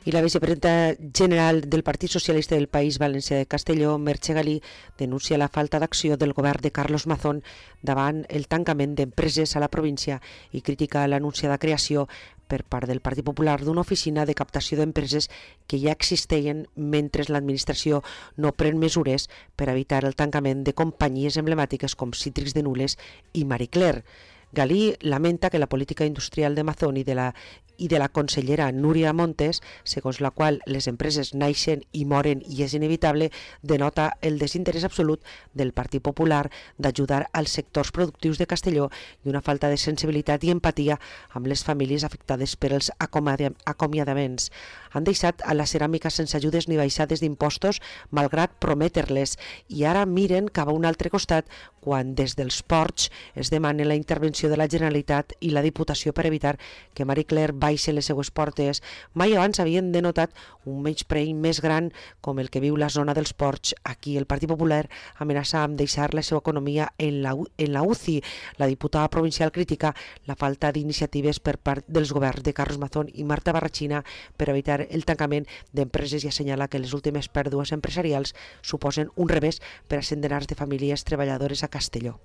I la vicepresidenta general del Partit Socialista del País Valencià de Castelló, Merche Galí, denuncia la falta d'acció del govern de Carlos Mazón davant el tancament d'empreses a la província i critica l'anunciada creació per part del Partit Popular d'una oficina de captació d'empreses que ja existeixen mentre l'administració no pren mesures per evitar el tancament de companyies emblemàtiques com Cítrics de Nules i Marie Claire. Galí lamenta que la política industrial de Mazón i de la consellera Núria Montes, segons la qual les empreses naixen i moren i és inevitable, denota el desinterès absolut del Partit Popular d'ajudar als sectors productius de Castelló i una falta de sensibilitat i empatia amb les famílies afectades per els acomiadaments. Han deixat a la ceràmica sense ajudes ni baixades d'impostos, malgrat prometre-les, i ara miren cap a un altre costat quan des dels ports es demana la intervenció de la Generalitat i la Diputació per evitar que Marie Claire baixi les seues portes. Mai abans havien denotat un menyspreu més gran com el que viu la zona dels ports. Aquí el Partit Popular amenaça amb deixar la seva economia en la UCI. La diputada provincial critica la falta d'iniciatives per part dels governs de Carlos Mazón i Marta Barrachina per evitar el tancament d'empreses i assenyala que les últimes pèrdues empresarials suposen un revés per a centenars de famílies treballadores a Castelló.